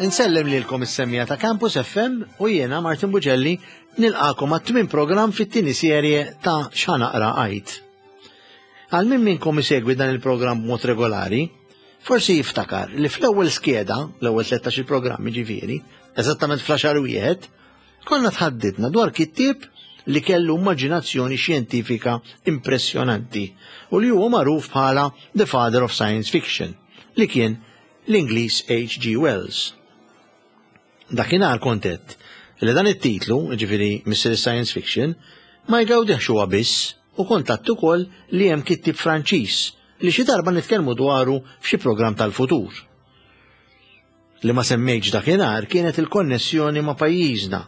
Insellem lilkom is-semmija ta' Campus FM u jiena Martin Bugelli nilqakom għat-tmien programm fit-tieni serje ta' X'Ħanaqra Għid. Għal min minnkom isegwi dan il-programm b'mod regolari, forsi jiftakar li fl-ewwel skeda, l-ewwel 13 il-programm jiġifieri, eżattament fl-għaxar wieħed, konna tħaddidna dwar kittieb li kellu immaġinazzjoni xjentifika impressjonanti u li huwa magħruf bħala The Father of Science Fiction, li kien l-Ingliż H.G. Wells. Dakinhar kont għedt li dan it-titlu, jiġifieri Missier Science Fiction, ma jgawdihx huwa biss u kont għedt ukoll li hemm kittieb Franċiż li xi darba nitkellmu dwaru f'xi programm tal-futur. Li ma semmejtx dakinhar kienet il-konnessjoni ma' pajjiżna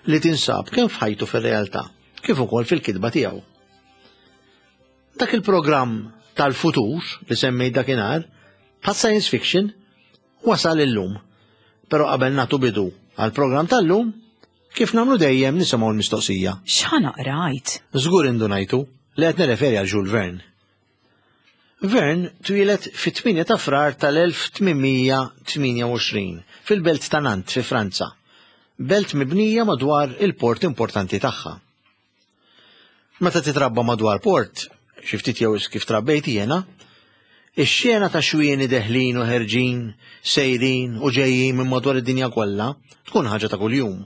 li tinsab kemm f'ħajtu fir-realtà kif ukoll fil-kitba tiegħu. Dak il-programm tal-futur li semmejt dakinhar, bħal science fiction, wasal illum. Però qabel nagħtu bidu għall-programm tal-lum, kif nagħmlu dejjem nisimgħu l-mistoqsija. X'ħa naqra għid? Żgur indunajtu li qed nirreferi għal Jules Verne. Verne twieled fit-8 ta' Frar tal-1828 fil-belt ta' Nantes fi Franza, belt mibnija madwar il-port importanti tagħha. Meta titrabba madwar port, xi ftit jew kif trabbejt jiena, ix-xena ta' xwieni deħlin u ħerġin, sejrin u ġejjin minn madwar id-dinja kollha tkun ħaġa ta' kuljum.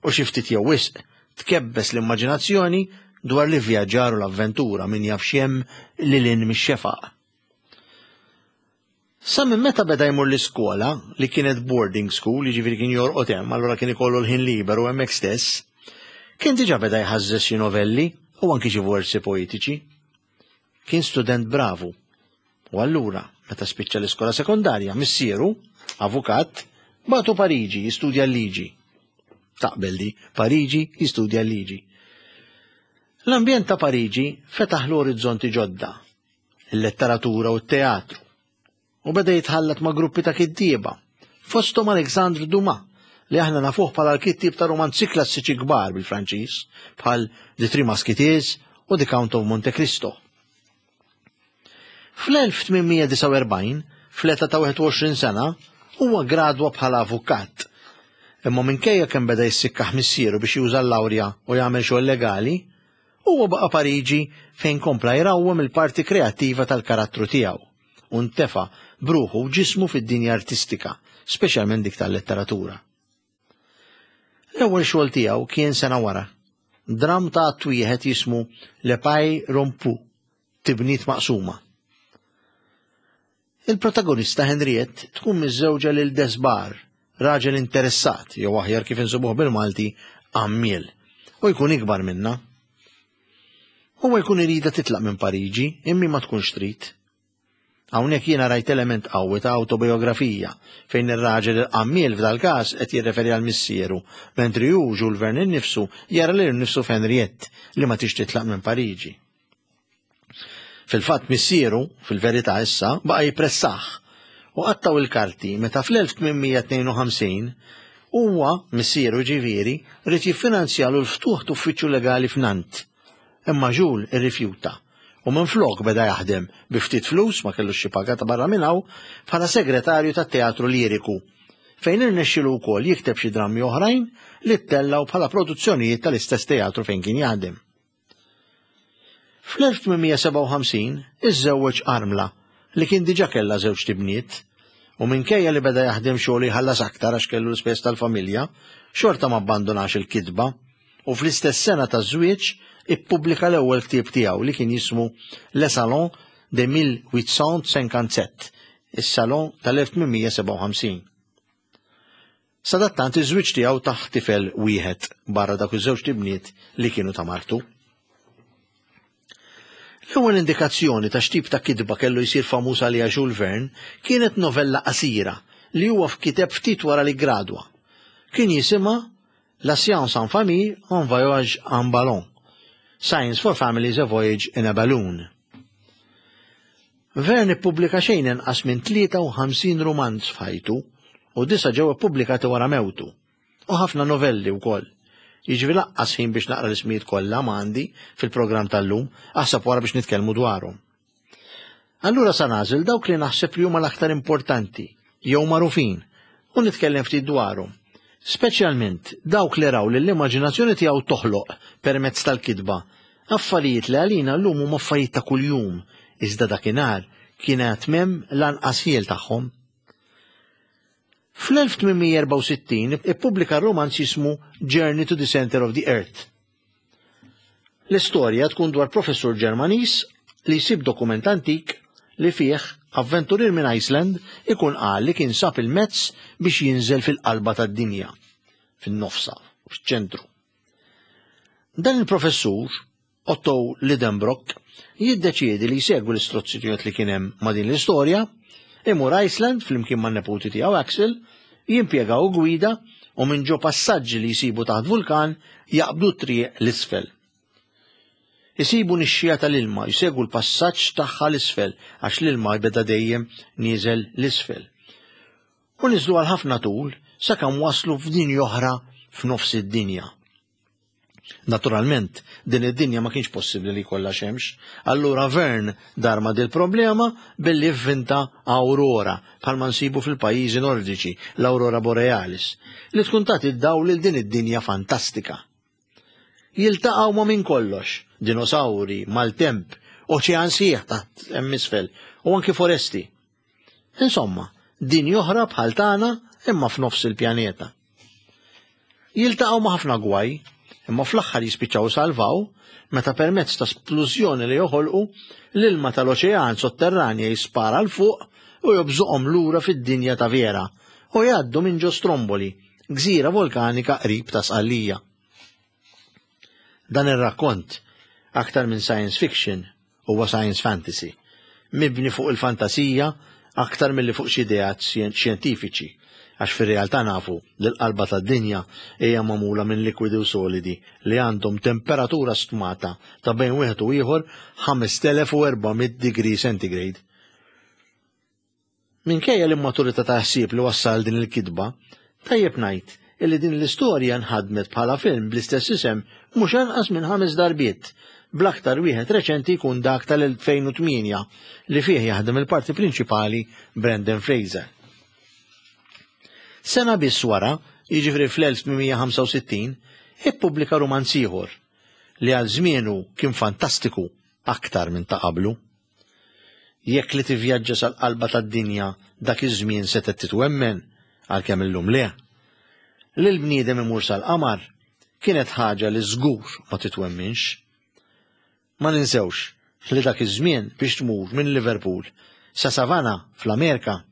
U xi ftit jew wisq tkebbes l-immaġinazzjoni dwar l-ivvjaġġar u l-avventura min jaf x'hemm lil hinn mix-xefaq. Sa minn meta beda jmur l-iskola, li kienet boarding school, jiġifieri kien jorqod hemm, allura kien ikollu l-ħin liberu hemmhekk stess, kien diġà beda jħażżeż xi novelli u anki xi versi poetiċi. Kien student bravu. U allura, meta spiċċa l-iskola sekondarja, missieru, avukat, bagħtu Pariġi jistudja l-liġi. Taqbel di, Pariġi jistudja l-liġi. L-ambjent ta' Pariġi fetaħlu orizzonti ġodda, il-letteratura u t-teatru. U beda jitħallat ma' gruppi ta' kittieba, fosthom Alexandre Dumas, li aħna nafuh bħala l-kittieb ta' romanzi klassiċi kbar bil-Franċiż, bħal The Three Musketeers u The Count of Monte Cristo. Fl-1849, fl-età ta' 21 sena, huwa gradwa bħala avukat. Imma minkejja kemm beda jissikkaħ missieru biex juża l-lawrja u jagħmel xogħol legali, huwa baqa' Pariġi fejn kompla jrawwem il-parti kreattiva tal-karattru tiegħu u ntefa' b'ruħu u ġismu fid-dinja artistika, speċjalment dik tal-letteratura. L-ewwel xogħol tiegħu kien sena wara, dramm ta' att wieħed jismu Le Paille Rompue, Tibniet Maqsuma. Il-protagonista Henriette tkun miżżewġa lil Desbar, raġel interessat, jew aħjar kif insibuh bil-Malti, għammiel, u jkun ikbar minnha. Huwa jkun iridha titlaq minn Pariġi, imma ma tkunx trid. Hawnhekk jiena rajt element qawwi ta' awtobiografija, fejn ir-raġel il-qammiel f'dal-każ qed jirreferi għal missieru, mentri hu, Jules Verne innifsu, jara lilu nnifsu f'Henriette li ma tix titlaq minn Pariġi. Fil-fatt missieru, fil-verità issa, baqa' jippressah u qattgħu l-karti meta fl-1852 huwa, missieru jiġifieri, ried jiffinanzjalu l-ftuħ t'uffiċċju legali f'Nantes. Imma Jules irrifjuta u minflok beda jaħdem bi ftit flus, ma kellux xi paga ta' barra minn hawn, bħala segretarju tat-teatru liriku, fejn irnexxielu wkoll jikteb xi drammi oħrajn li ttellgħu bħala produzzjonijiet tal-istess teatru fejn kien jaħdem. Fl-1857 iżżewweġ armla li kien diġà kellha żewġt ibniet u minkejja li beda jaħdem xogħol jħallas aktar għax kellu l-ispejjeż tal-familja, xorta ma abbandunax il-kitba u fl-istess sena taż-żwieġ ippubblika l-ewwel ktieb tiegħu li kien jismu Le Salon de 1857, is-Salon tal-1857. Sadattant iż-żwieġ tiegħu tah tifel wieħed barra dawk iż-żewġt ibniet li kienu ta' martu. L-ewwel indikazzjoni ta' x'tip ta' kitba kellu jsir famuż għaliha Jules Verne kienet novella qasira li huwa f'kiteb ftit wara li ggradwa. Kien jisimha La science en famille, un voyage en ballon. Science for Families, a Voyage in a Balloon. Verne ippubblika xejn inqas minn 53 rumanz f'ħajtu u disa' ġew ippubblikati wara mewtu. U ħafna novelli wkoll. Jiġifieri lanqas ħin biex naqra l-ismijiet kollha ma għandi fil-programm tal-lum, aħseb wara biex nitkellmu dwarhom. Allura sa nagħżel dawk li naħseb li huma l-aktar importanti jew magħrufin. u nitkellem ftit dwarhom. Speċjalment dawk li raw li l-immaġinazzjoni tiegħu toħloq permezz tal-kitba affarijiet li għalina llum huma affarijiet ta' kuljum, iżda dakinhar kien għad m'hemm lanqas ħiel tagħhom. Fl-1864 ippubblika romanz jismu Journey to the Center of the Earth. L-istorja tkun dwar professur Ġermaniż li jsib dokument antik li fih avventurier minn Iceland ikun qal li kien sab il-mezz biex jinżel fil-qalba tad-dinja, fin-nofsa, fiċ-ċentru. Dan il-professur, Otto Lidenbrock, jiddeċiedi li jsegwi l-istruzzjonijiet li kien hemm ma' din l-istorja, imur Iceland flimkien man-neputi tiegħu Axel, jimpjegaw gwida u minn ġo passaġġi li jsibu taħt vulkan jaqbdu t-triq l-isfel. Isibu nixxija tal-ilma, jsegwu l-passaġġ tagħha l-isfel għax l-ilma jbeda dejjem nieżel l-isfel. U niżlu għal ħafna tul sakemm waslu f'dinja oħra f'nofs id-dinja. Naturalment, din id-dinja ma kienx possibbli li jkollha xemx, allura Verne dar ma' dil-problema billi vvinta aurora bħalma nsibu fil-pajjiżi Nordiċi, l-aurora borealis, li tkun tagħti d-dawl lil din id-dinja fantastika. Jiltaqgħu ma' minn kollox, dinosawri, maltemp, oċean sħiħ taħt hemm isfel u anki foresti. Insomma, dinja oħra bħal tagħna imma f'nofs il-pjaneta. Jiltaqgħu ma' ħafna gwaj, imma fl-aħħar jispiċċaw salvaw meta permezz ta' splużjoni li joħolqu l-ilma tal-oċean sotterranja jispara 'l fuq u jobżoqhom lura fid-dinja ta' vera u jgħaddu minn ġo Stromboli, gżira volkanika qrib ta' Sqallija. Dan ir-rakkont, aktar minn science fiction, huwa science fantasy, mibni fuq il-fantasija aktar milli fuq xi ideat xjentifiċi, għax fir-realtà nafu li l-qalba tad-dinja hija magħmula minn likwidi u solidi li għandhom temperatura stmata ta' bejn wieħed u ieħor 5400 degree centigrade. Minkejja l-immaturità ta' ħsieb li wassal din il-kitba, tajjeb ngħid illi din l-istorja nħadmet bħala film bl-istess isem mhux anqas minn ħames darbiet, bl-aktar wieħed reċenti jkun dak tal-2008 li fih jaħdem il-parti prinċipali Brendan Fraser. Sena biss wara, jiġifieri fl-1865, ippubblika rumanz ieħor li għal żmienu kien fantastiku aktar minn ta' qablu. Jekk li tivvjaġġa sal-qalba tad-dinja dak iż-żmien setgħet titwemmen, għalkemm illum le. Li l-bniedem imur sal-qamar kienet ħaġa li żgur ma titwemminx. Ma ninsewx li dak iż-żmien biex tmur minn Liverpool sa Savannah fl-Amerika,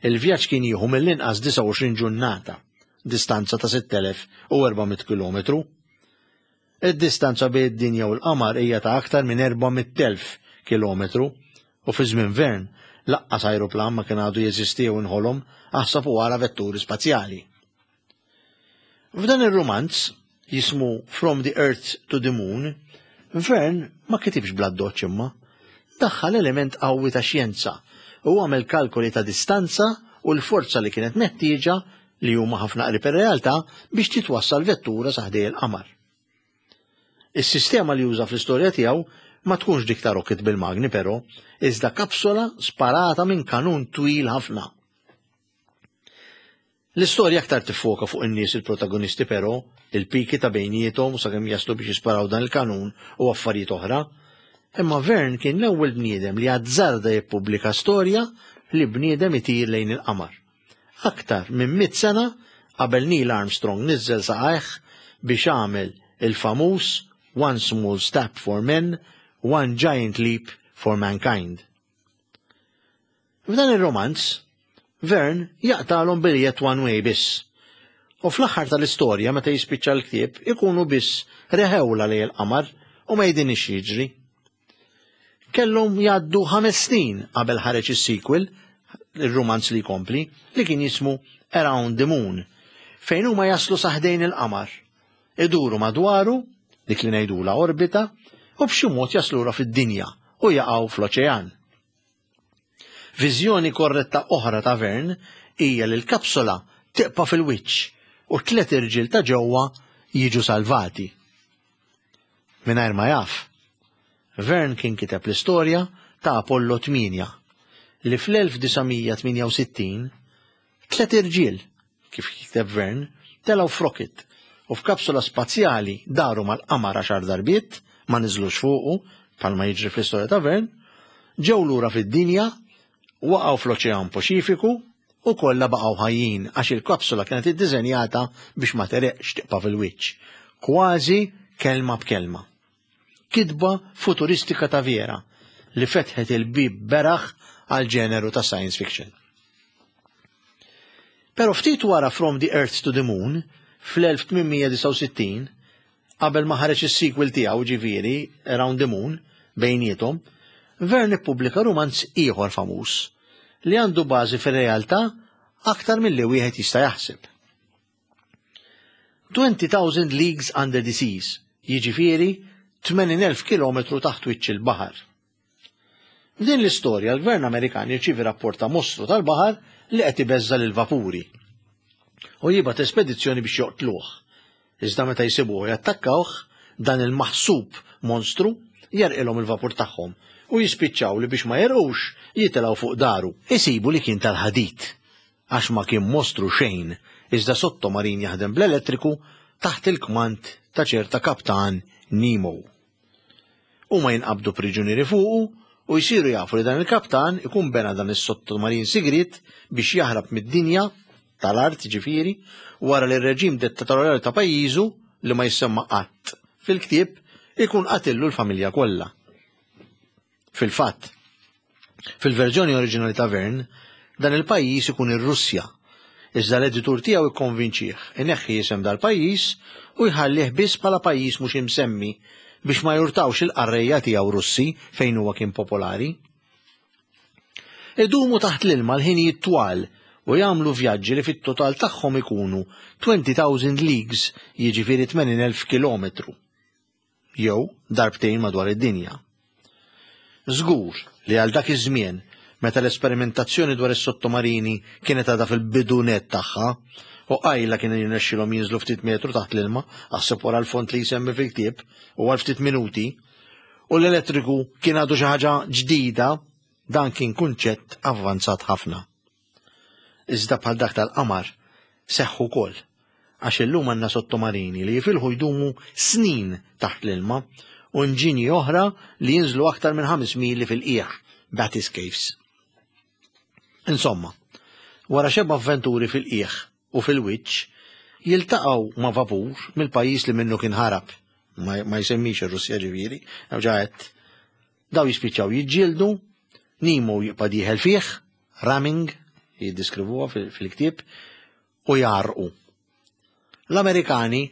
il-vjaġġ kien jieħu mill-inqas 29 ġurnata, distanza ta' 6400 kilometru. Id-distanza bejn id-Dinja u l-Qamar hija ta' aktar minn 400,000 kilometru u fi żmien Verne laqqas ajruplan ma kien għadu jeżisti jew inħolom aħsab u ara vetturi spazjali. F'dan ir-rumanz, jismu From the Earth to the Moon, Verne ma kitibx bl-addoċċ imma daħħal element qawwi ta' xjenza u għamel kalkoli ta' distanza u l-forza li kienet meħtieġa li huma ħafna qrib ir-realtà biex titwassal vettura sa ħdej il-qamar. Is-sistema li juża fl-istorja tiegħu ma tkunx dik ta' rocket bil-magni però, iżda kapsola sparata minn kanun twil ħafna. L-istorja aktar tiffoka fuq in-nies il-protagonisti però, il-piki ta' bejniethom u sakemm jaslu biex jisparaw dan il-kanun u affarijiet oħra. Imma Verne kien l-ewwel bniedem li azzarda jippubblika storja li bniedem itir lejn il-qamar. Aktar minn mitt sena qabel Neil Armstrong niżżel saqajh biex għamel il-famuż One small step for man, one giant leap for mankind. F'dan ir-romanz, Verne jaqtalhom biljett one way biss. U fl-aħħar tal-istorja meta jispiċċa l-ktieb ikunu biss reħewla lejn il-qamar u ma jidinix jiġri. Kellhom jgħaddu ħames snin qabel ħareġ is-sequel, ir-rumanz li jkompli, li kien jismu Around the Moon, fejn huma jaslu sa ħdejn il-qamar. Iduru madwaru, dik li ngħidula orbita, u b'xi mod jaslura fid-dinja u jaqgħu fl-oċean. Viżjoni korretta oħra ta' Verne hija li l-kapsula tibqa' fil-wiċċ u t-tliet irġiel ta' ġewwa jiġu salvati. Mingħajr ma jaf, Verne kien kiteb l-istorja ta' Apollo 8 li fl-1968 tliet irġiel. kif jikteb Verne, telgħu f'rocket u f'kapsula spazjali daru mal-qamar għaxar darbiet, ma niżlux fuqu, bħalma jiġri fl-istorja ta' Verne, ġew lura fid-dinja, waqgħu fl-Oċean Paċifiku u kollha baqgħu ħajjin għax il-kapsula kienet iddiżenjata biex ma tereqx tiqpa' fil-wiċċ. Kważi kelma b'kelma. Kitba futuristika ta' vera li fetħet il-bieb beraħ għal ġeneru ta' science fiction. Pero ftit wara From the Earth to the Moon, fl-1869, qabel ma ħareġ is-sequel tiegħu ġifieri Around the Moon bejniethom, Verne ippubblika rumanz ieħor famuż li għandu bażi fir-realtà aktar milli wieħed jista' jaħseb. 20,000 Leagues Under the Seas, jiġifieri 80,000 kilometru taħt wiċċ il-baħar. F'din l-istorja l-gvern Amerikan jirċievi rapport ta' mostru tal-baħar li qed ibeżża' lill-vapuri u jibgħat espedizzjoni biex joqtluh. Iżda meta jsibuh u jattakkawh, dan il-maħsub monstru jerqilhom il-vapur tagħhom u jispiċċaw li biex ma jerqux jitilgħu fuq daru. Isibu li kien tal-ħadid għax ma kien mostru xejn iżda sottomarin jaħdem bl-elettriku taħt il-kmand ta' ċerta kaptan Nemo. Huma jinqabdu priġunieri fuqu u jsiru jafu li dan il-kaptan ikun bena dan is-sottomarin sigriet biex jaħrab mid-dinja tal-art ġifieri wara li r-reġim dittatorjali ta' pajjiżu li ma jissemma qatt fil-ktieb ikun qatillu l-familja kollha. Fil-fatt, fil-verżjoni oriġinali ta' Verne, dan il-pajjiż ikun ir-Russja, iżda l-editur tiegħu ikkonvinċih ineħħi isem dal-pajjiż u jħallih biss bħala pajjiż mhux imsemmi biex ma jurtawx il-qarrejja tiegħu Russi fejn huwa kien popolari. Idumu taħt l-ilma l-ħinijiet twal u jagħmlu vjaġġi li fit-total tagħhom ikunu 20,000 leagues, jiġifieri 80,000 kilometru. jew darbtejn madwar id-dinja. Żgur li għal dak iż-żmien, meta l-esperimentazzjoni dwar is-sottomarini kienet għadha fil-bidu nett tagħha, u qajla kien jirnexxilhom jinżlu ftit metru taħt l-ilma, aħseb wara l-fond li jsemmi fil-ktieb, u għal ftit minuti, u l-elettriku kien għadu xi ħaġa ġdida, dan kien kunċett avvanzat ħafna. Iżda bħal dak tal-qamar seħħ ukoll għax illum għandna sottomarini li jifilħu jdumu snin taħt l-ilma u inġinji oħra li jinżlu aktar minn 5 mili fil-qiegħ, bathyscaphes. Insomma, wara xeba avventuri fil-qiegħ u fil-wiċċ, jiltaqgħu ma' vapur mill-pajjiż li minnu kien ħarab, ma jsemmix ir-Russja ġifieri, ġaħet Daw jispiċċaw jiġġieldu, Nemo jibqa' dieħel fih, ramming, jiddiskrivuha fil-ktieb, u jgħarrqu. L-Amerikani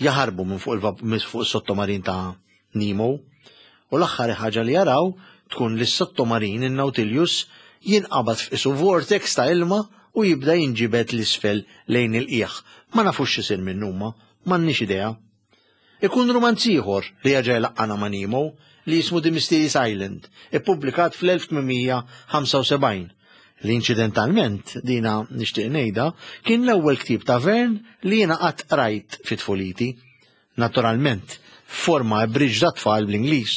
jaħarbu minn fuq is-sottomarin ta' Nemo u l-aħħar ħaġa li jaraw tkun li s-sottomarin in-Nautilus jinqabad f'isu vortex ta' ilma u jibda jinġibed l-isfel lejn il-qiegħ. Ma nafux x'isir minnu huma, m'għandniex idea. Ikun rumanz ieħor li jerġa' jlaqqana ma' Nemo li jismu The Mysterious Island, ippubblikat fl-1875, li inċidentalment, dina nixtieq ngħidha, kien l-ewwel ktieb ta' Verne li jiena qatt qrajt fi tfuliti. Naturalment, f'forma abridged għat-tfal bl-Ingliż.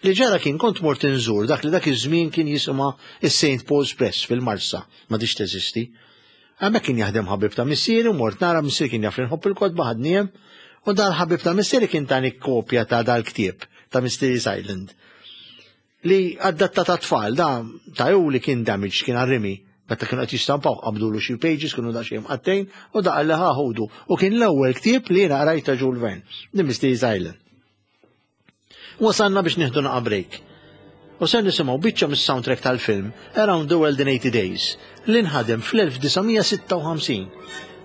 Li ġara kien kont mort inżur dak li dak iż-żmien kien jisimha is-St. Paul's Press fil-Marsa, m'għadhiex teżisti. Hemmhekk kien jaħdem ħabib ta' missieri u mort nara missieri kien jaf li nħobb il-kotba ħadni hemm u dal-ħabib ta' missieri kien tani kopja ta' dal-ktieb ta' Mysterious Island li adatta ta' tfal da ta' li kien damage kien għarrimi meta kienu qed jistampaw qabdulu xi pages kienu daqsxejn mqattejn u da qalli ħa ħudu u kien l-ewwel ktieb li jiena qrajt ta' Jules Verne, The Mysterious Island. Wasalna biex nieħdu naqa' break. U ser nisimgħu biċċa mis-soundtrack tal-film Around the World in 80 Days li nħadem fl-1956.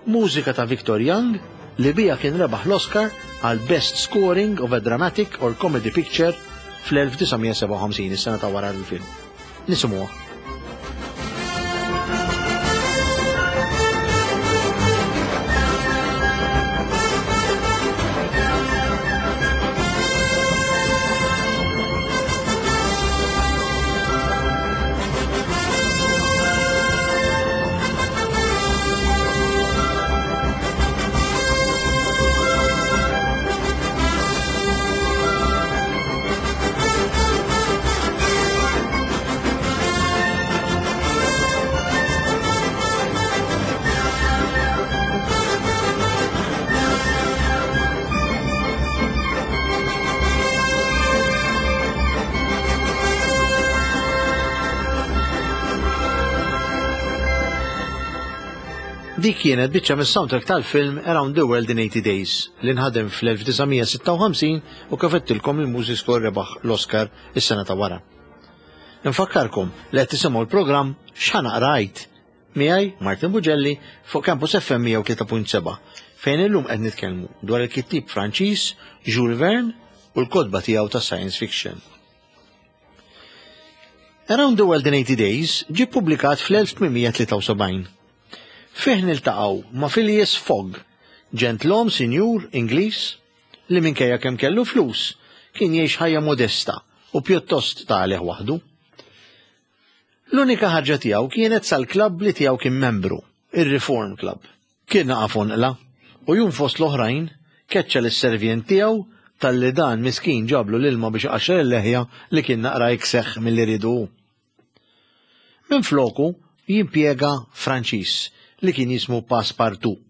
Mużika ta' Victor Young li bija kien rebaħ l-Oscar għal Best Scoring of a Dramatic or Comedy Picture fl-1957, is-sena ta' wara l-film. Nisimgħuha. Dik kienet biċċa mis-soundtrack tal-film Around the World in 80 Days li nħadem fl-1956 u kif għedtilkom il-music score rebaħ l-Oscar is-sena ta' wara. Infakkarkom li qed tisimgħu l-programm X'ħa naqra għid miegħi Martin Bugelli fuq Campus FM 103.7 fejn illum qed nitkellmu dwar il-kittieb Franċiż Jules Verne u l-kotba tiegħu ta' science fiction. Around the World in 80 Days ġie ppubblikat fl-1873. Fih niltaqgħu ma' Phileas Fogg, ġentlom sinjur Ingliż li minkejja kemm kellu flus kien jgħix ħajja modesta u pjuttost ta' għalih waħdu. L-unika ħarġa tiegħu kienet sal-klabb li tiegħu kien membru, ir-Reform Club. Kien naqa' fonqla u jum fost l-oħrajn keċċa lis-servjent tiegħu talli dan miskin ġablu l-ilma biex iqaxxar il-leħja li kien naqra ikseħ milli riedu hu. Minfloku jimpjega Franċiż li kien jismu Passepartout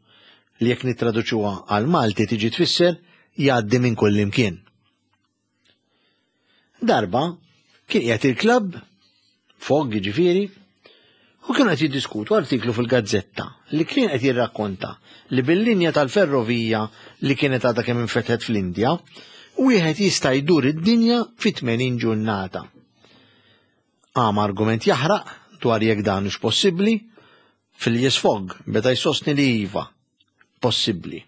li jekk nittraduċuha għall-Malti tiġi tfisser jgħaddi minn kullimkien. Darba kien qiegħed il-klabb, Fogg jiġifieri, u kienu qed jiddiskutu artiklu fil-gazzetta li kien qed jirrakkonta li bil-linja tal-ferrovija li kienet għadha kemm infetħet fl-Indja, wieħed jista' jdur id-dinja fi 80 ġurnata. Qam argument jaħraq dwar jekk dan hux possibbli, Phileas Fogg beda jsostni li iva, possibbli.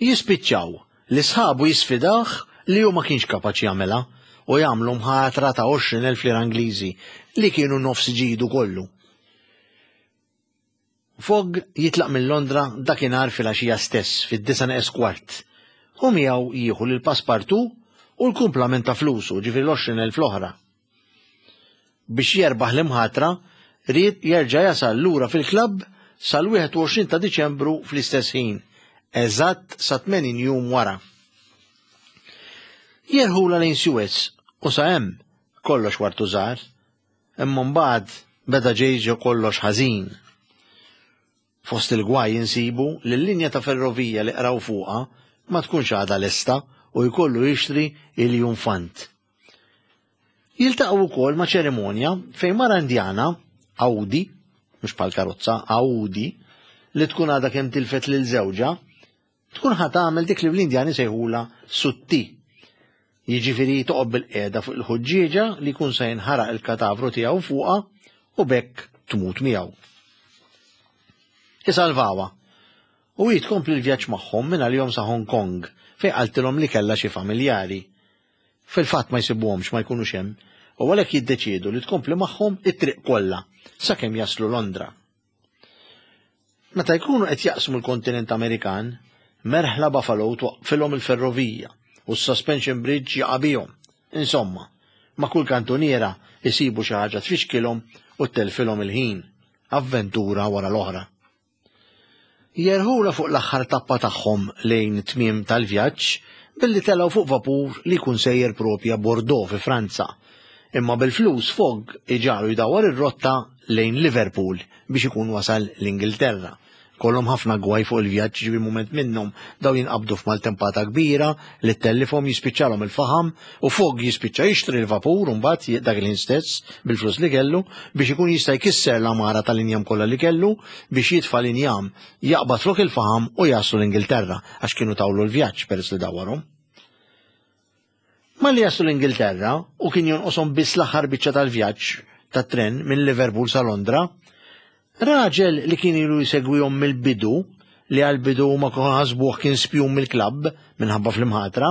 Jispiċċaw li sħabu jisfidawh li hu ma kienx kapaċi jagħmilha u jagħmlu mħatra ta' 20,000 lira Ingliżi li kienu nofs ġidu kollu. Fogg jitlaq minn Londra dakinhar filgħaxija stess fid-disa' neqes kwart u miegħu jieħu lil Passepartout u l-kumplament ta' flusu, ġifieri l-20,000 l-oħra. Biex jerbaħ l-imħatra, ried jerġa' jasal lura fil-klabb sal-21 ta' Diċembru fl-istess ħin, eżatt sa 80 jum wara. Jerħulha lejn Suez u sa hemm kollox wartu żgħar, imma mbagħad beda ġej ġo kollox ħażin. Fost il-gwaj insibu li l-linja ta' ferrovija li qraw fuqha ma tkunx għadha lesta u jkollu jixtri iljunfant. Jiltaqgħu wkoll ma' ċerimonja fejn mara Indjana, Audi, mhux bħal karozza, Audi, li tkun għadha kemm tilfet lil żewġha, tkun ħa tagħmel dik li l-Indjani sejħula sutti. Jiġifieri toqgħod bil-qiegħda fuq il-ħuġġieġa li jkun se jinħaraq il-katavru tiegħu fuqha u bekk tmut miegħu. Isalvawha u hi tkompli l-vjaġġ magħhom minn għalihom sa Hong Kong fejn qaltilhom li kellha xi familjari. Fil-fatt ma jsibuhomx, ma jkunux hemm, u għalhekk jiddeċiedu li tkompli magħhom it-triq kollha sakemm jaslu Londra. Meta jkunu qed jaqsmu l-kontinent Amerikan, merħla Buffalo twaqqfilhom il-ferrovija u s-suspension bridge jaqa' bihom. Insomma, ma' kull kantuniera jsibu xi ħaġa tfixkilhom u ttellfilhom il-ħin, avventura wara l-oħra. Jerħulha fuq l-aħħar tappa tagħhom lejn it-tmiem tal-vjaġġ billi telgħu fuq vapur li jkun sejjer propja Bordeaux fi Franza. Imma bil-flus Fogg iġagħlu jdawwar ir-rotta lejn Liverpool biex ikun wasal l-Ingilterra. Kollhom ħafna gwaj fuq il-vjaġġ ġibi mument minnhom daw jinqabdu f'maltempata kbira li ttellifhom jispiċċalhom il-faħam u Fogg jispiċċa jixtri l-vapur mbagħad dak il-ħin stess bil-flus li kellu biex ikun jista' jkisser l-għamara tal-injam kollha li kellu biex jitfa' l-injam jaqbad flok il-faħam u jaslu l-Ingilterra għax kienu tawlu l-vjaġġ peress li dawwarhom. Malli jaslu l-Ingilterra u kien jonqoshom biss l-aħħar biċċa tal-vjaġġ tat-tren minn Liverpool sa Londra, raġel li kien ilu jsegwihom mill-bidu li għall-bidu huma kienu ħasbuh kien spjun mill-klabb minħabba fl-imħatra,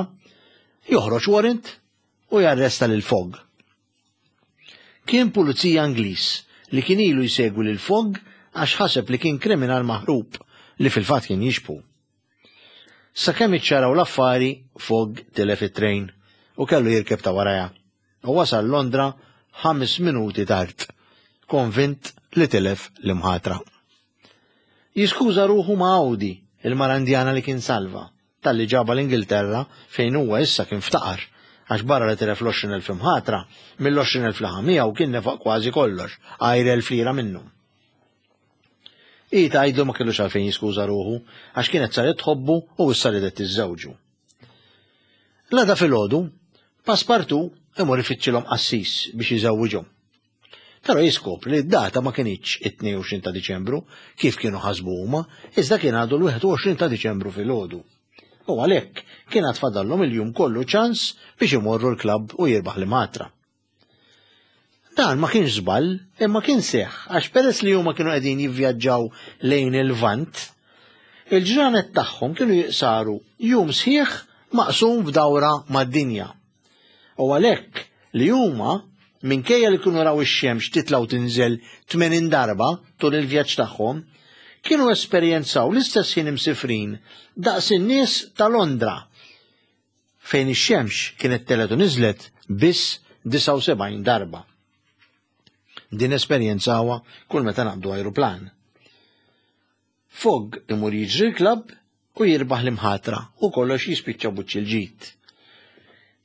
joħroġ warrant u jarresta lil Fogg. Kien pulizija Ingliż li kien ilu jsegwi lil Fogg għax ħaseb li kien kriminal maħrub li fil-fatt kien jixbhu. Sakemm iċċaraw l-affari, Fogg tilef it-trejn u kellu jirkeb ta' warajha u wasal Londra ħames minuti tard, konvint li tilef l-imħatra. Jiskuża ruħu ma' Audi, il-mara Indjana li kien salva, talli ġabha l-Ingilterra fejn huwa issa kien ftaqar, għax barra li tilef l-20,000 imħatra, mill-20,000 li ħa miegħu kien nefaq kważi kollox, għajr 1,000 lira minnhom. Hi tgħidlu ma kellux għalfejn jiskuża ruħu, għax kienet saret tħobbu u issa ridet tiżżewġu. L-għada filgħodu, Passepartout imur ifittxilhom qassis biex iżewwiġhom. Però jiskopri li d-data ma kinitx it-22 ta' Diċembru kif kienu ħasbu huma, iżda kien għadu l-21 ta' Diċembru filgħodu. U għalhekk kien għad fadallhom il-jum kollu ċans biex imorru l-klabb u jirbaħ l-imatra. Dan ma kienx żball, imma kien seħħ għax peress li huma kienu qegħdin jivvjaġġaw lejn il-Lvant, il-ġranet tagħhom kienu jiqsaru jum sħiħ maqsum f'dawra mad-dinja. U għalhekk li huma minkejja li kienu raw ix-xemx titla' u tinżel 80 darba tul il-vjaġġ tagħhom, kienu esperjenzaw l-istess ħin imsifrin daqs in-nies ta' Londra fejn ix-xemx kienet telgħet u niżlet biss 79 darba. Din esperjenzawha kull meta naqbdu ajruplan. Fogg imur jiġri l-klabb u jirbaħ l-imħatra u kollox jispiċċa buċċi l-ġid.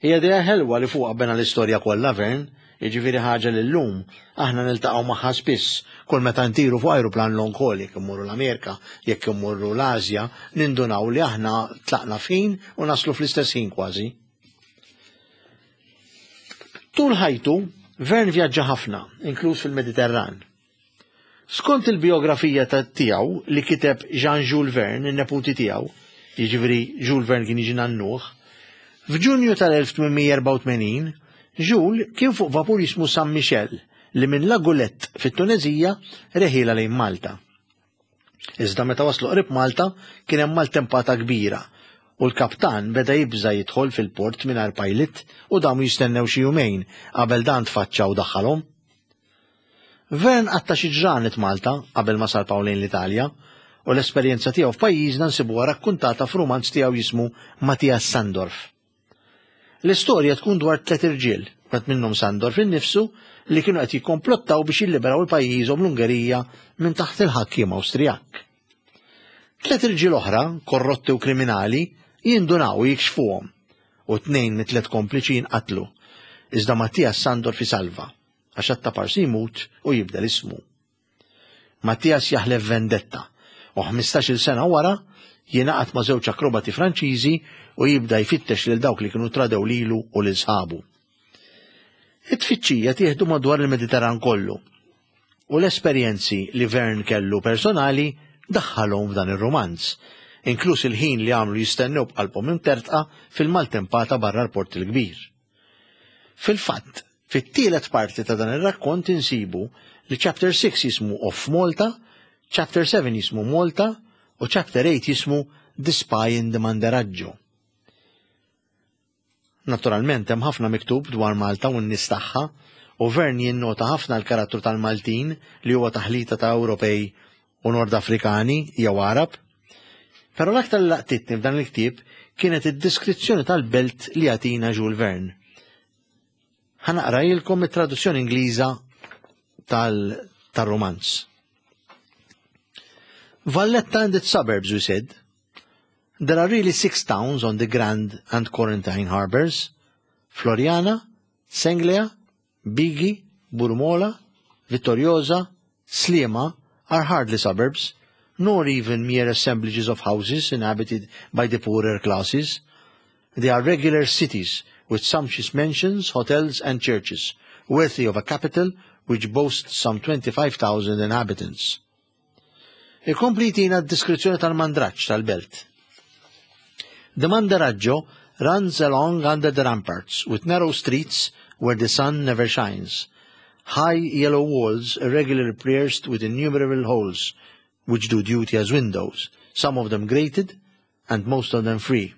Hija idea ħelwa li fuqha bena l-istorja kollha Vern, jiġifieri ħaġa li llum aħna niltaqgħu magħha spiss kull meta ntiru fuq ajruplan long haul jekk immorru l-Amerika, jekk immorru l-Asja, nindunaw li aħna tlaqna f'ħin u naslu fl-istess ħin kważi. Tul ħajtu, Vern vjaġġa ħafna, inkluż fil-Mediterran. Skont il-bijografija ta' tiegħu li kiteb Jean Jules Verne, in-neputi tiegħu, jiġifieri Jules Verne kien jiġi nannuh, f'Ġunju tal-1884 Jules kien fuq vapur jismu San Michel li minn La Goulette fit-Tuneżija reħielha lejn Malta. Iżda meta waslu qrib Malta kien hemm maltempata kbira u l-kaptan beda jibża' jidħol fil-port mingħajr pilot u damu jistennew xi jumejn qabel dan tfaċċa u daħħalhom. Verne qatta' xi ġranet Malta qabel ma salpaw lejn l-Italja u l-esperjenza tiegħu f'pajjiżna nsibuha rakkuntata f'rumanz tiegħu jismu Matthias Sandorf. L-istorja tkun dwar tliet irġiel, wieħed minnhom Sandorf innifsu, li kienu qed jikkomplottaw biex jilliberaw il-pajjiżhom l-Ungerija minn taħt il-ħakkiem Awstrijak. Tliet irġiel oħra, korrotti u kriminali, jindunaw u jikxfuhom u tnejn mit-tliet kompliċi jinqatlu. Iżda Mattias Sandorf isalva. għax għat-taparsi jmut u jibdel ismu. Mattias jaħlef vendetta u 15-il sena wara jingħaqad ma' żewġ akrobati Franċiżi u jibda jfittex lil dawk li kienu tradew lilu u lil sħabu. It-tfittxija tieħdu madwar il-Mediterran kollu u l-esperjenzi li Verne kellu personali daħħalhom f'dan ir-rumanz, inkluż il-ħin li għamlu jistennew b'qalbhom imtertqa fil-maltempata barra l-Port il-Kbir. Fil-fatt, fit-tielet parti ta' dan ir-rakkont insibu li chapter 6 jismu Off Malta, chapter 7 jismu Malta u chapter 8 jismu The Spy in the Manderaggio. Naturalment hemm ħafna miktub dwar Malta u n-nies tagħha u Verne jinnota ħafna l-karattru tal-Maltin li huwa taħlita ta' Ewropej u Nord Afrikani jew Għarab. Però l-aktar li laqtitni f'dan il-ktieb kienet id-diskrizzjoni tal-belt li jagħtina Jules Verne. Ħa naqrajilkom it-traduzzjoni Ingliża tal-romanz. Valletta and its suburbs, we said. There are really six towns on the Grand and Quarantine harbors. Floriana, Senglea, Bigi, Burmola, Vittoriosa, Sliema are hardly suburbs, nor even mere assemblages of houses inhabited by the poorer classes. They are regular cities with sumptuous mansions, hotels and churches, worthy of a capital which boasts some 25,000 inhabitants. Ikompli jtina d-diskrizzjoni tal-mandraġġ tal-belt. The Mandaraggio runs along under the ramparts with narrow streets where the sun never shines. High yellow walls irregularly pierced with innumerable holes, which do duty as windows, some of them grated and most of them free.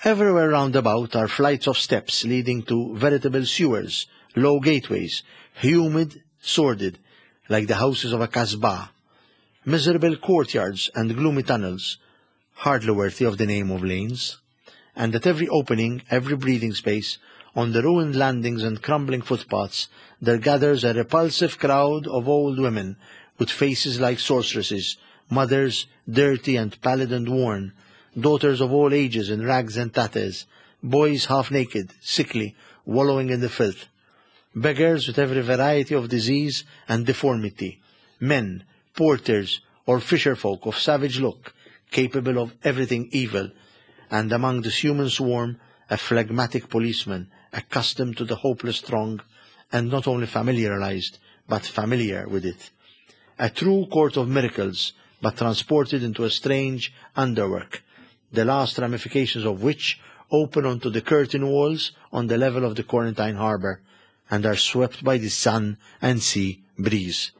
Everywhere round about are flights of steps leading to veritable sewers, low gateways, humid, sordid, like the houses of a kasbah, miserable courtyards and gloomy tunnels, hardly worthy of the name of lanes. And at every opening, every breathing space, on the ruined landings and crumbling footpaths, there gathers a repulsive crowd of old women with faces like sorceresses, mothers dirty and pallid and worn, daughters of all ages in rags and tatters, boys half naked, sickly, wallowing in the filth, beggars with every variety of disease and deformity, men, porters, or fisherfolk of savage look, capable of everything evil, and among this human swarm, a phlegmatic policeman, accustomed to the hopeless throng, and not only familiarized, but familiar with it. A true court of miracles, but transported into a strange underwork, the last ramifications of which open onto the curtain walls on the level of the Quarantine Harbour and are swept by the sun and sea breeze.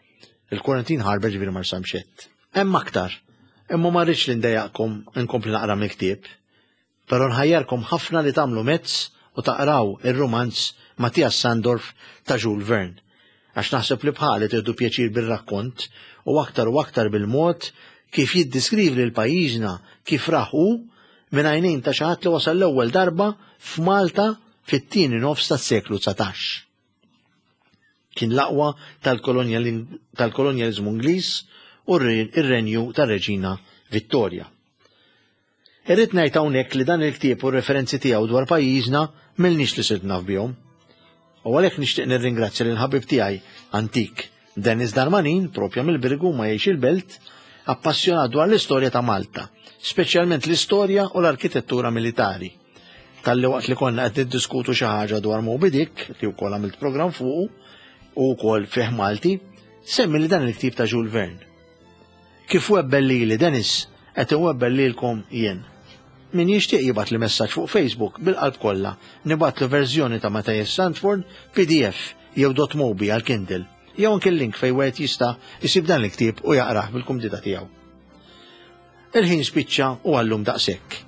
Il-Quarantine Harbour ġifieri Marsamxett. Hemm aktar, imma ma rridx li ndejjaqkom inkompli naqra mill-ktieb. Però nħajjarkom ħafna li tagħmlu mezz u taqraw ir-rumanz Matthias Sandorf ta' Jules Verne. Għax naħseb li bħali tieħdu pjaċir bir-rakkont u aktar u aktar bil-mod kif jiddiskrivi lil pajjiżna kif rah hu minn għajnejn ta' xi ħadd li wasal l-ewwel darba f'Malta fit-tieni nofs tas-seklu 19. Kien l-aqwa tal-kolonjaliżmu Ingliż u r-renju tar-Reġina Vittoria. Irrid ngħid hawnhekk li dan il-ktieb u r-referenzi tiegħu dwar pajjiżna m'ilniex li sirt naf bihom. U għalhekk nixtieq nirringrazzja lil ħabib tiegħi antik Dennis Darmanin, propja mill-Birgu ma jgħix il-Belt, appassjonat dwar l-istorja ta' Malta, speċjalment l-istorja u l-arkitettura militari. Talli waqt li konna qed niddiskutu xi ħaġa dwar Moby Dick, li wkoll għamilt programm fuqu, u wkoll fih Malti, semmi li dan il-ktieb ta' Jules Verne. Kif webbel lili Dennis, qed inwebbel lilkom jien. Min jixtieq jibgħatli messaġġ fuq Facebook bil-qalb kollha, nibgħatlu verżjoni ta' Matthias Sandford PDF jew .mobi għal Kindle, jew anke l-link fejn wieħed jista' jsib dan il-ktieb u jaqrah bil-kumdità tiegħu. Il-ħin spiċċa u għallum daqshekk.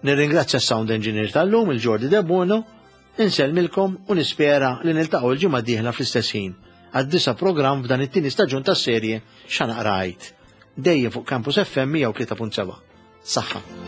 Nirringrazzja s-sound engineer tal-lum, il-Jordi Debono, Insellmilkom u nispera li niltaqgħu l-ġimgħa d-dieħla fl-istess ħin għad-disa' programm f'dan it-tieni staġun tas-serje X'Ħa Naqra Għid. Dejjem fuq Campus FM 103.7. Saħħa.